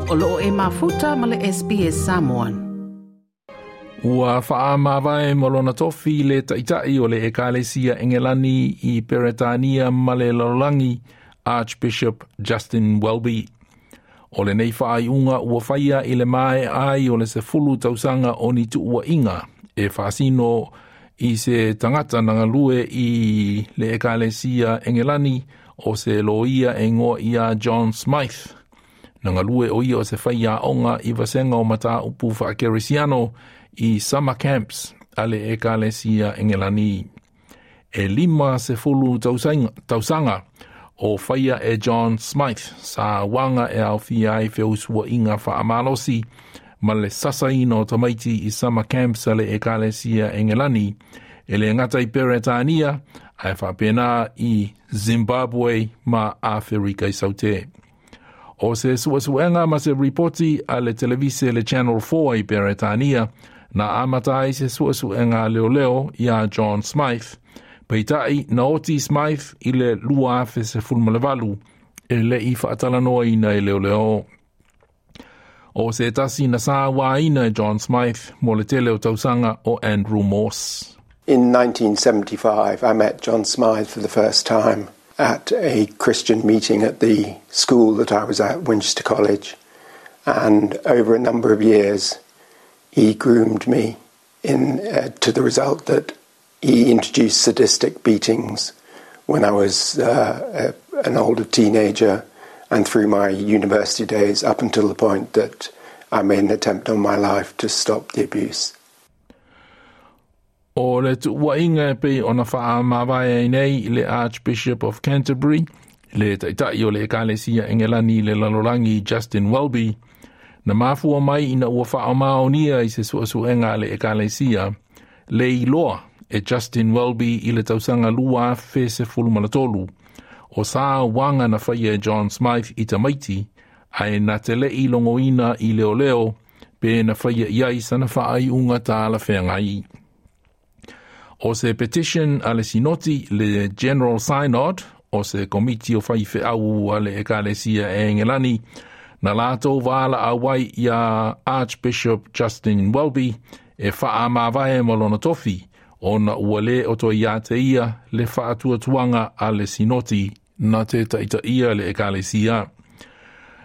O loo e mafuta ma le SBS Samoan. Ua faamavae ma lona tofi le Taitai o le Ekalesia Engelani i Peretania ma le lalolagi Archbishop Justin Welby. O lenei faaiuga ua faia i le maea ai o le 10 tausaga o ni tuuaiga e faasino i se tagata na galue i le Ekalesia Engelani o se loia e igoa ia John Smyth. Na galue o ia o se faiaoga i vasega o mataupu faakerisiano i summer camps a le Ekalesia Engelani. E 50 tausaga o faia e John Smyth sauaga e aofia ai feusuaiga faamalosi ma le sasaina o tamaiti i summer camps a le Ekalesia Engelani e le gata i Peretania ae faapena i Zimbabwe ma Aferika i Saute. O se suesuega ma se ripoti a le televise le Channel 4 i Peretania na amata ai se suesuega a leoleo iā John Smyth, peitai na oti Smyth i le 2018 e le'i faatalanoaina e leoleo. O se tasi na sauaina e John Smyth mo le tele o tausaga o Andrew Morse. In 1975, I met John Smyth for the first time at a Christian meeting at the school that I was at, Winchester College. And over a number of years, he groomed me to the result that he introduced sadistic beatings when I was an older teenager and through my university days up until the point that I made an attempt on my life to stop the abuse. O le tuuaiga e pei ona faamavae ai nei le Archbishop of Canterbury, le Taitai o le Ekalesia Engelani i le lalolagi Justin Welby, na mafua mai ina ua faamaonia i se suesuega a le Ekalesia, le iloa e Justin Welby i le tausaga 2013, o sauaga na faia e John Smyth i tamaiti, ae na te le'i logoina i leoleo pe na faia i ai sana faaiuga talafeagai. O se petition a le Sinoti le General Synod, o se komiti o faifeau a le Ekalesia e Engelani, na latou valaau ai iā Archbishop Justin Welby e faamavae ma lona tofi, ona ua lē o toe ia te ia le faatuatuaga a le Sinoti na te taitaia le Ekalesia.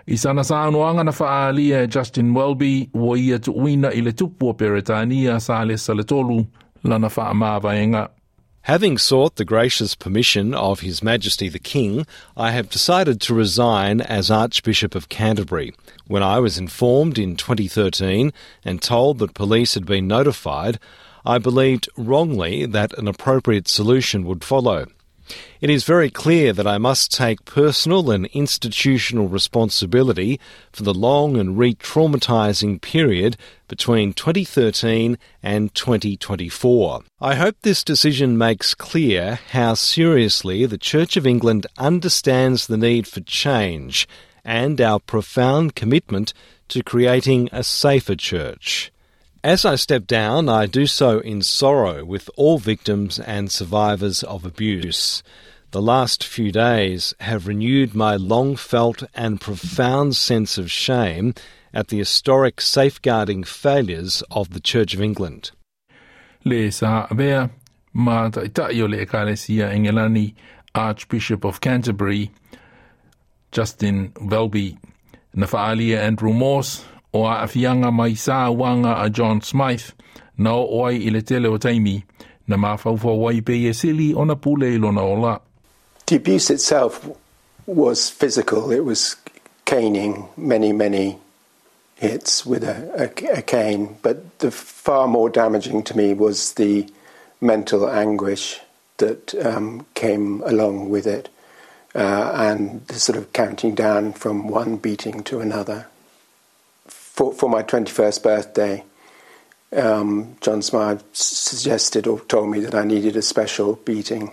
I sana saunoaga na faaalia e Justin Welby ua ia tuuina i le Tupu o Peretania Salesa le Tolu lana faamavaega. Having sought the gracious permission of His Majesty the King, I have decided to resign as Archbishop of Canterbury. When I was informed in 2013 and told that police had been notified, I believed wrongly that an appropriate solution would follow. It is very clear that I must take personal and institutional responsibility for the long and re-traumatising period between 2013 and 2024. I hope this decision makes clear how seriously the Church of England understands the need for change and our profound commitment to creating a safer church. As I step down, I do so in sorrow with all victims and survivors of abuse. The last few days have renewed my long felt and profound sense of shame at the historic safeguarding failures of the Church of England. Le sa avea ma Taitai o le Ekalesia Engelani Archbishop of Canterbury Justin Welby. Na faaalia Andrew Morse o aafiaga mai sauaga a John Smyth na oo ai i le tele o taimi na mafaufau ai pei e sili ona pule i lona ola. The abuse itself was physical. It was caning, many, many hits with a cane. But the far more damaging to me was the mental anguish that came along with it, and the sort of counting down from one beating to another. For my 21st birthday, John Smyth suggested or told me that I needed a special beating.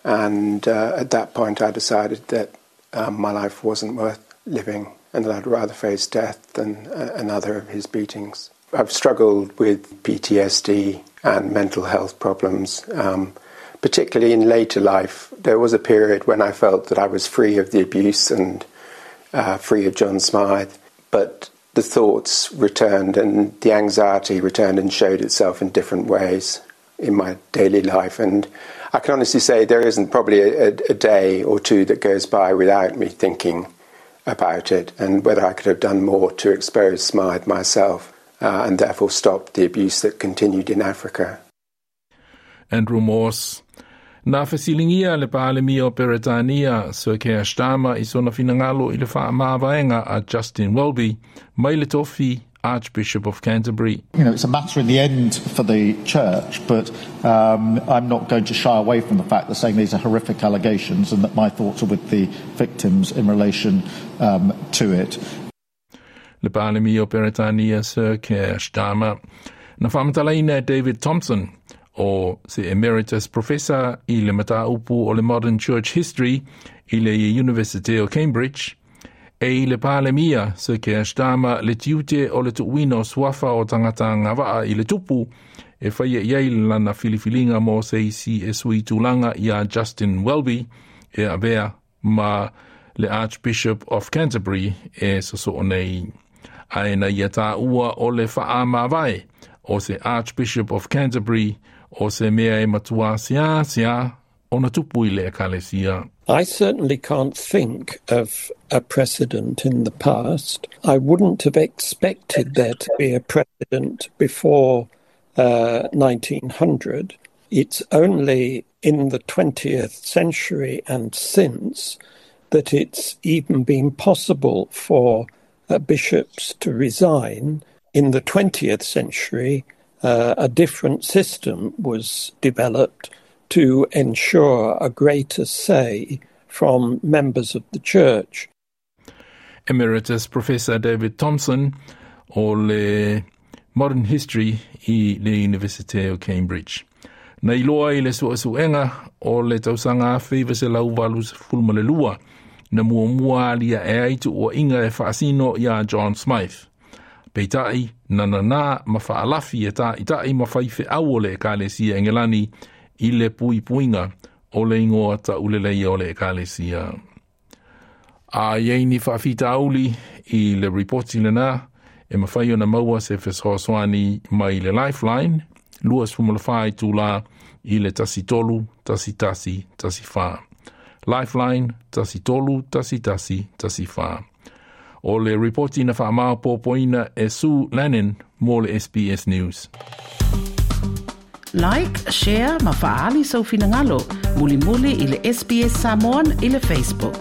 And at that point I decided that my life wasn't worth living and that I'd rather face death than another of his beatings. I've struggled with PTSD and mental health problems, particularly in later life. There was a period when I felt that I was free of the abuse and free of John Smyth. But the thoughts returned and the anxiety returned and showed itself in different ways in my daily life. And I can honestly say there isn't probably a day or two that goes by without me thinking about it and whether I could have done more to expose Smythe myself and therefore stop the abuse that continued in Africa. Andrew Morse. Na fesiligia le Palemia o Peretania, Sir Keir Starmer, i sona finagalo i le faamavaega a Justin Welby, mai le tofi Archbishop of Canterbury. It's a matter in the end for the church, but I'm not going to shy away from the fact that saying these are horrific allegations and that my thoughts are with the victims in relation to it. Le Palemia o Peretania, Sir Keir Starmer. Na faamatalaina e David Thompson, o se Emeritus Professor i le mataupu o le Modern Church History i le University o Cambridge, e i le Palemia, Sir Keir Starmer, le tiute o le tuuina o suafa o tagata agavaa i le tupu, e faia i ai lana filifiliga mo se isi e sui tulaga ia Justin Welby e avea ma le Archbishop of Canterbury e sosoo nei. Ae na ia taua o le faamavae o se Archbishop of Canterbury o se mea e matua seasea ona tupu i le Ekalesia. I certainly can't think of a precedent in the past. I wouldn't have expected there to be a precedent before 1900. It's only in the 20th century and since that it's even been possible for bishops to resign. In the 20th century, a different system was developed to ensure a greater say from members of the church. Emeritus Professor David Thompson o le Modern History i le University o Cambridge. Na iloa i le suesuega o le tausaga 1982 na muamua aliae ai tuuaiga e faasino ia John Smythe. Peitai, na nanā ma faalafi e ta'ita'i ma faifeau o le Ekalesia Engelani i le puipuiga o le igoa tauleleia o le Ekalesia. A i ai ni faafitauli i le ripoti lena, e mafai ona maua se fesoasoani mai le Lifeline, 24 itulā i le 13 11 14. Lifeline 13 11 14. O le ripoti na faamaopoopoina e Sue Lannin mo le SBS News. Like, share ma faaali sou finagalo. Mulimuli i le SBS Samoan i le Facebook.